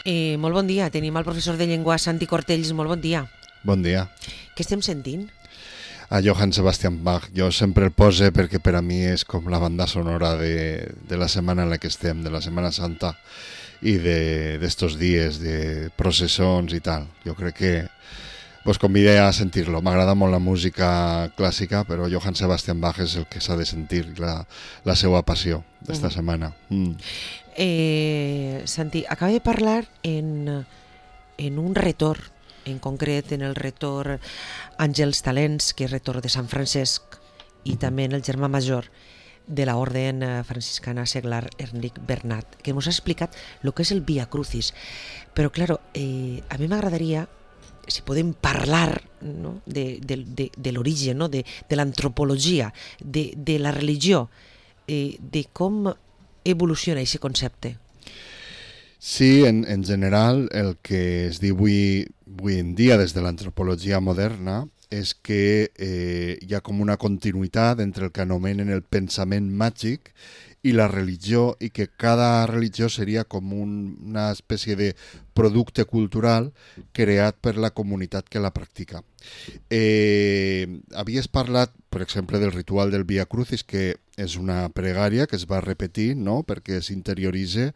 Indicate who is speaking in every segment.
Speaker 1: Molt bon dia, tenim el professor de llengua Santi Cortells, molt bon dia.
Speaker 2: Bon dia.
Speaker 1: Què estem sentint?
Speaker 2: A Johann Sebastian Bach. Jo sempre el pose perquè per a mi és com la banda sonora de la setmana en la que estem, de la Setmana Santa i d'estos dies de processons i tal. Jo crec que vos convidé a sentir-lo. M'agrada molt la música clàssica, però Johann Sebastian Bach és el que s'ha de sentir, la seva passió d'esta setmana.
Speaker 1: Santi, acaba de parlar en un retor, en concret en el retor Àngels Talents, que és retor de Sant Francesc, i també en el germà major de la orden franciscana seglar Enric Bernat, que ens ha explicat el que és el Via Crucis. Però, claro, a mi m'agradaria, si podem parlar, no, de l'origen, no, de l'antropologia, de la religió, de com evoluciona aquest concepte.
Speaker 2: Sí, en general el que es diu avui en dia des de l'antropologia moderna és que hi ha com una continuïtat entre el que anomenen el pensament màgic i la religió, i que cada religió seria com una espècie de producte cultural creat per la comunitat que la practica. Havies parlat, per exemple, del ritual del Via Crucis, que és una pregària que es va repetir, no?, perquè s'interioritza,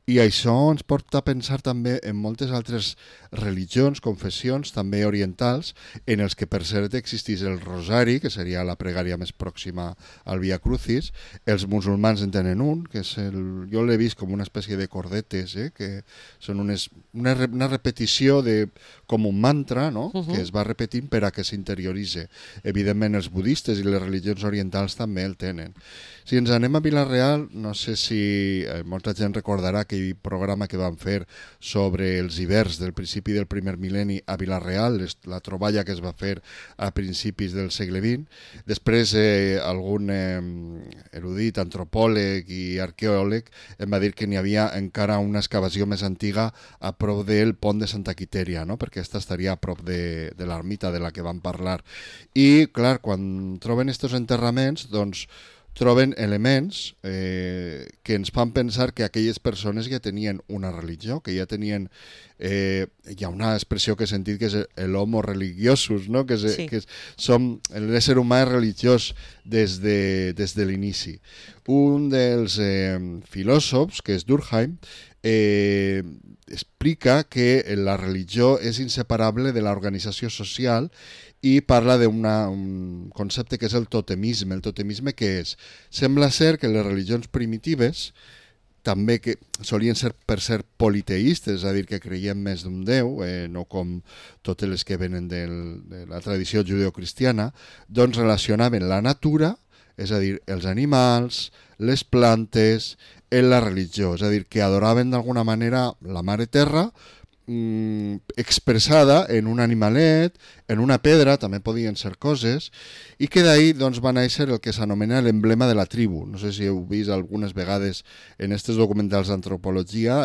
Speaker 2: i això ens porta a pensar també en moltes altres religions, confessions, també orientals, en els que per cert existís el rosari, que seria la pregària més pròxima al Via Crucis. Els musulmans en tenen un, que és jo l'he vist com una espècie de cordetes, que són una repetició com un mantra, no?, que es va repetint per a que s'interioritzi. Evidentment els budistes i les religions orientals també el tenen. Si ens anem a Vila-real, no sé si molta gent recordarà aquell programa que van fer sobre els hiverns del principi del primer mil·lenni a Vila-real, la troballa que es va fer a principis del segle XX. Després algun erudit, antropòleg i arqueòleg em va dir que n'hi havia encara una excavació més antiga a prop del pont de Santa Quitèria, no?, perquè aquesta estaria a prop de l'ermita de la que vam parlar. I, clar, quan troben estos enterraments, doncs troben elements que ens fan pensar que aquelles persones ja tenien una religió, que ja tenien... hi ha una expressió que he sentit que és l'homo religiosus, no?, que som l'ésser humà religiós des de l'inici. Un dels filòsofs, que és Durkheim, explica que la religió és inseparable de l'organització social i parla d'un concepte que és el totemisme. El totemisme què és? Sembla ser que les religions primitives, també que solien ser per ser politeistes, és a dir, que creien més d'un déu, no com totes les que venen de la tradició judeocristiana, doncs relacionaven la natura, és a dir, els animals, les plantes, en la religió, és a dir, que adoraven d'alguna manera la Mare Terra, expressada en un animalet, en una pedra, també podien ser coses, i que d'ahir doncs, va néixer el que s'anomena l'emblema de la tribu. No sé si heu vist algunes vegades en aquests documentals d'antropologia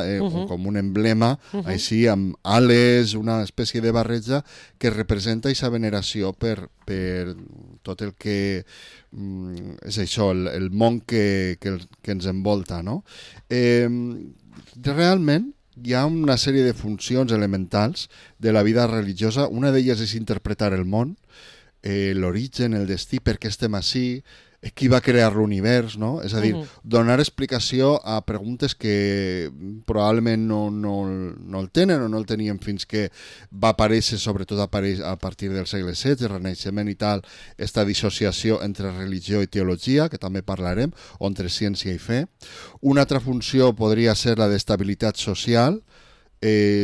Speaker 2: com un emblema, així amb ales, una espècie de barreja que representa aquesta veneració per tot el que és això, el món que ens envolta, no? Realment hi ha una sèrie de funcions elementals de la vida religiosa. Una d'elles és interpretar el món, l'origen, el destí, per què estem ací, qui va crear l'univers, no? És a dir, donar explicació a preguntes que probablement no el tenen o no el tenien fins que va aparèixer, sobretot a partir del segle XVI, el Renaixement i tal, esta dissociació entre religió i teologia, que també parlarem, o entre ciència i fe. Una altra funció podria ser la d'estabilitat social,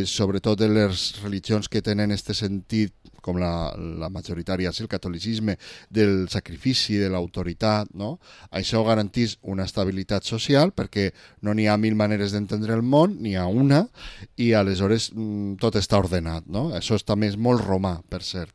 Speaker 2: sobretot en les religions que tenen aquest sentit, com la majoritària, el catolicisme, del sacrifici, de l'autoritat, no? Això garanteix una estabilitat social perquè no n'hi ha mil maneres d'entendre el món, n'hi ha una, i aleshores tot està ordenat, no? Això també és molt romà, per cert.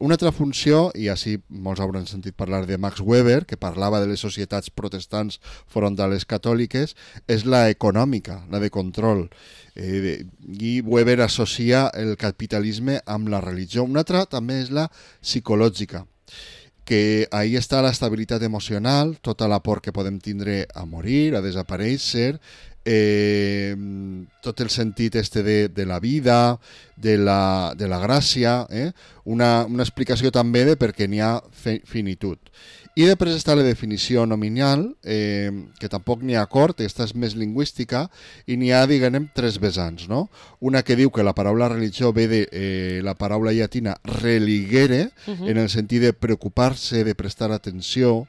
Speaker 2: Una altra funció, i així molts hauran sentit parlar de Max Weber, que parlava de les societats protestants front a les catòliques, és la econòmica, la de control. I Weber associa el capitalisme amb la religió. Una altra també és la psicològica, que ahí està l'estabilitat emocional, tota la por que podem tindre a morir, a desaparèixer, tot el sentit de la vida, de la gràcia, una explicació també de per què n'hi ha finitud. I després està la definició nominal, que tampoc n'hi ha acord, aquesta és més lingüística, i n'hi ha, diguem, tres vessants, no? Una que diu que la paraula religió ve de la paraula llatina religere, en el sentit de preocupar-se, de prestar atenció.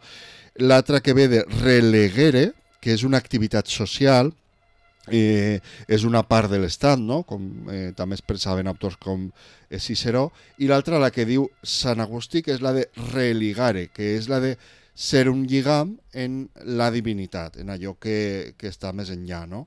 Speaker 2: L'altra que ve de relegere, que és una activitat social, és una part de l'Estat, no? Com també es pensaven autors com Ciceró, i l'altra, la que diu Sant Agustí, que és la de religare, que és la de ser un lligam en la divinitat, en allò que està més enllà, no?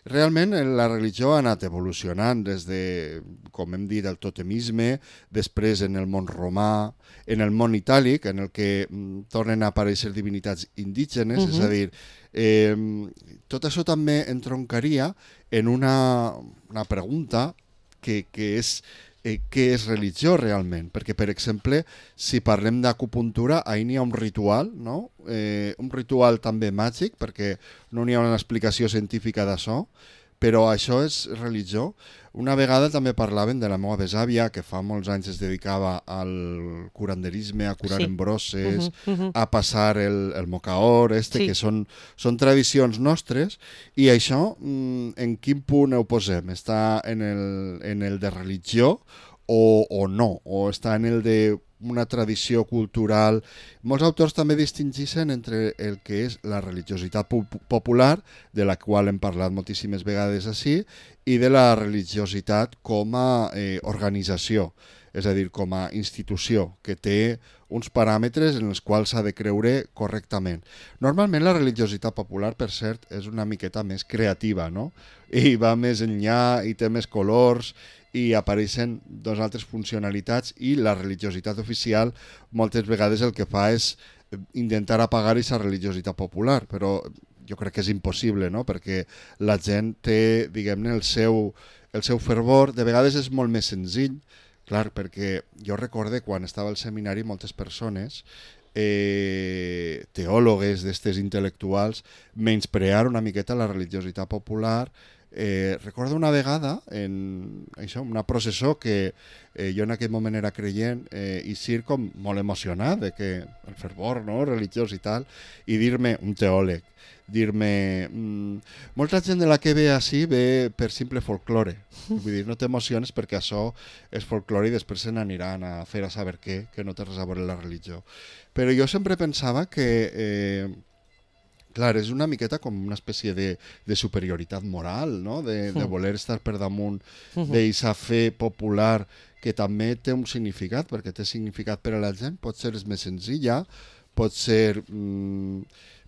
Speaker 2: Realment la religió ha anat evolucionant des de, com hem dit, el totemisme, després en el món romà, en el món itàlic, en el que tornen a aparèixer divinitats indígenes, és a dir, tot això també entroncaria en una pregunta que és què és religió realment? Perquè, per exemple, si parlem d'acupuntura, ahir n'hi ha un ritual, no? Un ritual també màgic, perquè no n'hi ha una explicació científica d'això, però això és religió. Una vegada també parlaven de la meva besàvia, que fa molts anys es dedicava al curanderisme, a curar embroses, a passar el mocaor, que són tradicions nostres, i això, en quin punt ho posem? Està en el de religió o no? O està en el de una tradició cultural? Molts autors també distingeixen entre el que és la religiositat popular, de la qual hem parlat moltíssimes vegades així, i de la religiositat com a organització, és a dir, com a institució, que té uns paràmetres en els quals s'ha de creure correctament. Normalment la religiositat popular, per cert, és una miqueta més creativa, no? I va més enllà, i té més colors, i apareixen dos altres funcionalitats, i la religiositat oficial moltes vegades el que fa és intentar apagar aquesta religiositat popular, però jo crec que és impossible, no? Perquè la gent té, diguem-ne, el seu fervor. De vegades és molt més senzill, clar, perquè jo recorde quan estava al seminari moltes persones, teòlogues d'estes intel·lectuals, menysprear una miqueta la religiositat popular. Recordo una vegada en això, una processó que jo en aquell moment era creient, i ser com molt emocionat de que el fervor, no?, religiós i tal, i dir-me, un teòleg, dir-me, molta gent de la que ve així ve per simple folklore, vull dir, no t'emociones perquè això és folklore i després se n'aniran a fer a saber què, que no té res a veure la religió. Però jo sempre pensava que clar, és una miqueta com una espècie de superioritat moral, no? De voler estar per damunt d'eixa fe popular que també té un significat, perquè té significat per a la gent, pot ser més senzilla, pot ser...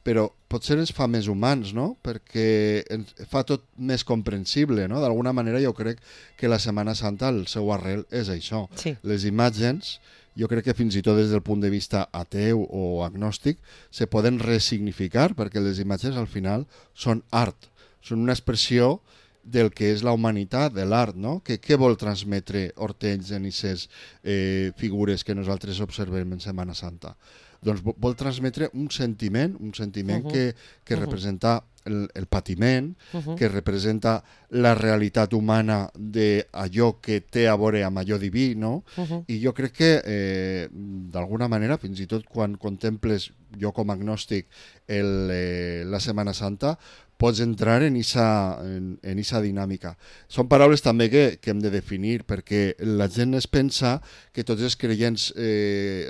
Speaker 2: però potser ens fa més humans, no? Perquè ens fa tot més comprensible, no? D'alguna manera jo crec que la Setmana Santa, el seu arrel és això.
Speaker 1: Sí.
Speaker 2: Les imatges, jo crec que fins i tot des del punt de vista ateu o agnòstic, se poden resignificar, perquè les imatges al final són art, són una expressió del que és la humanitat, de l'art, no? Què vol transmetre Hortenys en aquestes figures que nosaltres observem en Setmana Santa? Doncs vol transmetre un sentiment que representa el patiment, que representa la realitat humana d'allò que té a veure amb allò diví, no? I jo crec que, d'alguna manera, fins i tot quan contemples, jo com a agnòstic, la Setmana Santa, pots entrar en esa dinàmica. Són paraules també que hem de definir, perquè la gent es pensa que tots els creients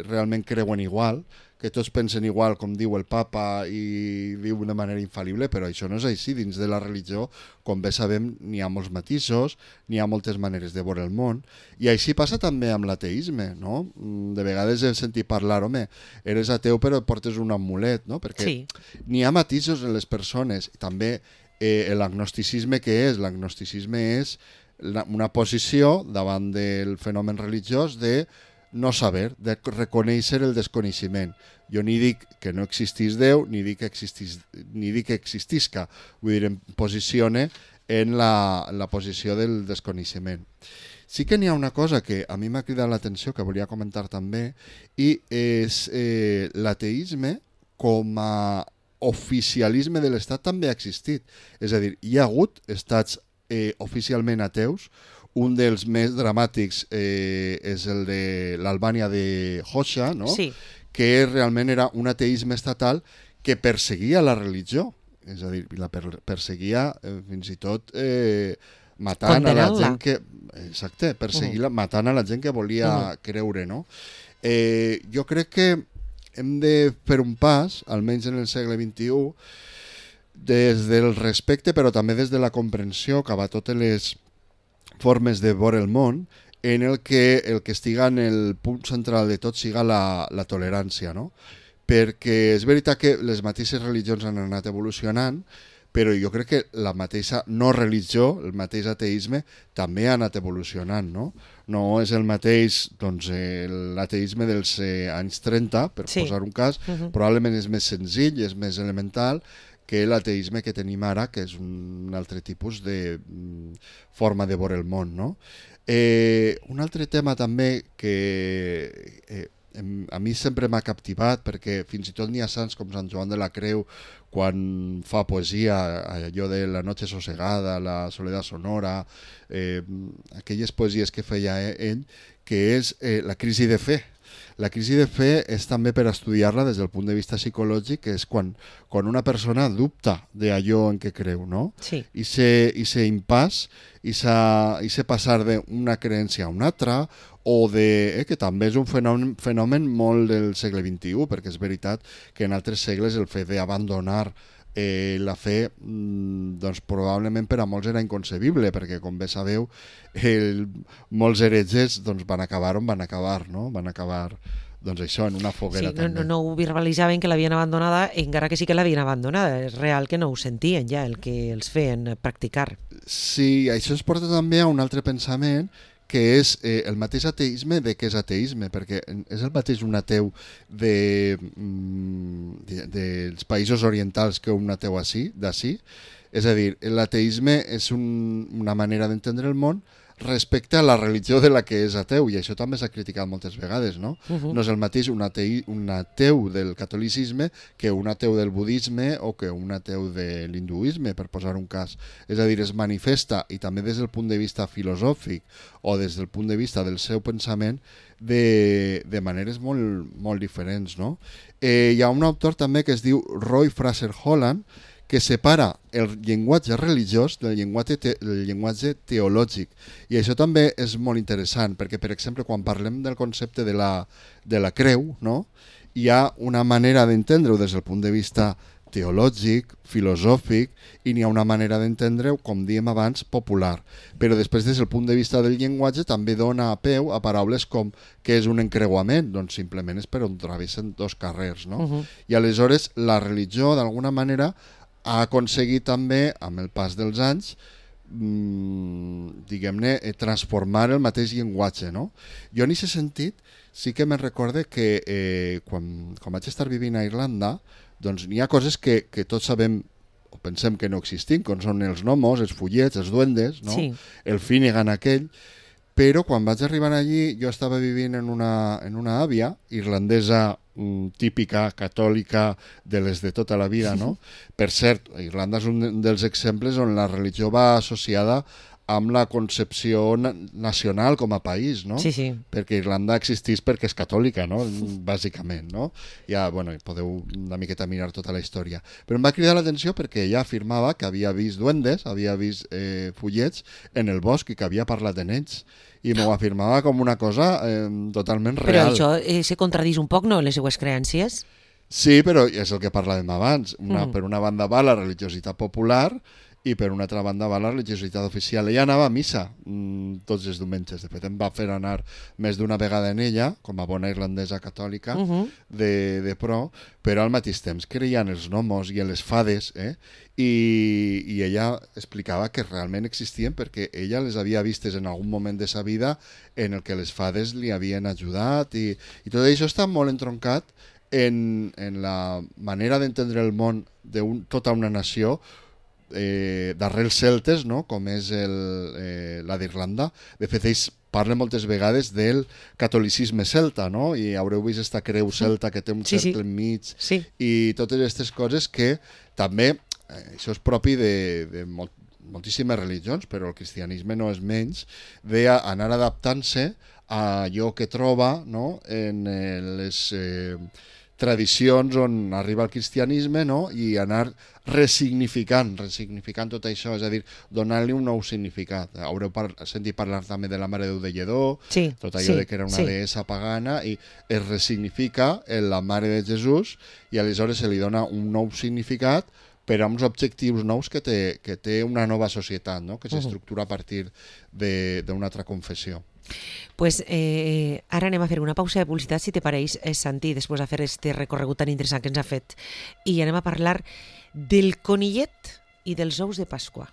Speaker 2: realment creuen igual, que tots pensen igual, com diu el papa, i diu de manera infal·lible, però això no és així. Dins de la religió, com bé sabem, n'hi ha molts matisos, n'hi ha moltes maneres de veure el món, i així passa també amb l'ateisme, no? De vegades he sentit parlar, home, eres ateu però portes un amulet, no? Perquè n'hi ha matisos en les persones. També l'agnosticisme, què és? L'agnosticisme és una posició davant del fenomen religiós de no saber, de reconèixer el desconeixement. Jo ni dic que no existís Déu, ni dic que existisca. Vull dir, em posicione en la posició del desconeixement. Sí que n'hi ha una cosa que a mi m'ha cridat l'atenció, que volia comentar també, i és l'ateisme com a oficialisme de l'Estat també ha existit. És a dir, hi ha hagut estats oficialment ateus. Un dels més dramàtics és el de l'Albània de Hoxha, no?
Speaker 1: Sí.
Speaker 2: Que realment era un ateisme estatal que perseguia la religió. És a dir, la perseguia fins i tot matant a la gent que... Exacte, matant a la gent que volia creure, no? Jo crec que hem de fer un pas, almenys en el segle XXI, des del respecte, però també des de la comprensió cap a totes les formes de veure el món, en el que estiga en el punt central de tot siga la tolerància, no? Perquè és veritat que les mateixes religions han anat evolucionant, però jo crec que la mateixa no religió, el mateix ateisme, també ha anat evolucionant, no? No és el mateix, doncs, l'ateisme dels anys 30, per posar un cas, probablement és més senzill, és més elemental que l'ateisme que tenim ara, que és un altre tipus de forma de veure el món, no? Un altre tema també que a mi sempre m'ha captivat, perquè fins i tot n'hi ha sants com Sant Joan de la Creu, quan fa poesia, allò de La noche sosegada, La soledad sonora, aquelles poesies que feia ell, que és la crisi de fe. La crisi de fe és també per estudiar-la des del punt de vista psicològic, que és quan una persona dubta d'allò en què creu, no?
Speaker 1: Sí.
Speaker 2: I se impàs, i se passar d'una creencia a una altra, o que també és un fenomen molt del segle XXI, perquè és veritat que en altres segles el fet d'abandonar la fe doncs probablement per a molts era inconcebible, perquè com bé sabeu molts heretges doncs, van acabar on van acabar, no? Van acabar doncs això, en una foguera també.
Speaker 1: No ho verbalitzaven que l'havien abandonada, encara que sí que l'havien abandonada. És real que no ho sentien ja, el que els feien practicar.
Speaker 2: Sí, això ens porta també a un altre pensament, que és el mateix ateisme de què és ateisme, perquè és el mateix un ateu dels països orientals que un ateu d'ací. És a dir, l'ateisme és una manera d'entendre el món respecte a la religió de la que és ateu, i això també s'ha criticat moltes vegades, no? No és el mateix un ateu del catolicisme que un ateu del budisme o que un ateu de l'hinduisme, per posar un cas. És a dir, es manifesta, i també des del punt de vista filosòfic o des del punt de vista del seu pensament, de maneres molt, molt diferents, no? Hi ha un autor també que es diu Roy Fraser Holland, que separa el llenguatge religiós del llenguatge teològic. I això també és molt interessant, perquè, per exemple, quan parlem del concepte de la creu, no? Hi ha una manera d'entendre-ho des del punt de vista teològic, filosòfic, i n'hi ha una manera d'entendre-ho, com dèiem abans, popular. Però després, des del punt de vista del llenguatge, també dona peu a paraules com què és un encreuament, doncs simplement és per on travessen dos carrers, no? I aleshores la religió, d'alguna manera, ha aconseguit també, amb el pas dels anys, diguem-ne, transformar el mateix llenguatge, no? Jo en aquest sentit sí que me'n recorde que quan vaig estar vivint a Irlanda, doncs n'hi ha coses que tots sabem o pensem que no existim, com són els gnomos, els fullets, els duendes, no?
Speaker 1: Sí.
Speaker 2: El Finnegan aquell, però quan vaig arribar allí jo estava vivint en una àvia irlandesa típica, catòlica, de les de tota la vida, no? Per cert, Irlanda és un dels exemples on la religió va associada amb la concepció nacional com a país, no?
Speaker 1: Sí, sí.
Speaker 2: Perquè Irlanda existís perquè és catòlica, no? Bàsicament, no? Ja, bueno, podeu una miqueta mirar tota la història. Però em va cridar l'atenció perquè ella afirmava que havia vist duendes, havia vist fullets en el bosc i que havia parlat en ells. I m'ho afirmava com una cosa totalment real.
Speaker 1: Però això se contradís un poc, no?, en les seues creencies?
Speaker 2: Sí, però és el que parlàvem abans. Per una banda va la religiositat popular i per una altra banda va la religiositat oficial. Ella anava a missa tots els diumenges. De fet, em va fer anar més d'una vegada en ella, com a bona irlandesa catòlica, de pro, però al mateix temps creia en els gnomos i en les fades, i ella explicava que realment existien perquè ella les havia vistes en algun moment de sa vida en el que les fades li havien ajudat, i tot això està molt entroncat en la manera d'entendre el món de tota una nació d'arrels celtes, no? Com és la d'Irlanda. De fet, ells parla moltes vegades del catolicisme celta, no? I haureu vist esta creu celta que té un cercle enmig i totes aquestes coses que també, això és propi de moltíssimes religions, però el cristianisme no és menys, d'anar adaptant-se a allò que troba, no? En les tradicions on arriba el cristianisme, no? I anar ressignificant tot això, és a dir, donant-li un nou significat. Haureu sentit parlar també de la Mare de Déu de Lledó, tot allò de que era una deessa pagana, i es ressignifica la Mare de Jesús i aleshores se li dona un nou significat per a uns objectius nous que té una nova societat, no? Que s'estructura a partir d'una altra confessió.
Speaker 1: Pues ara anem a fer una pausa de publicitat, si te pareix, Santi, després de fer este recorregut tan interessant que ens ha fet. I anem a parlar del conillet i dels ous de Pasqua.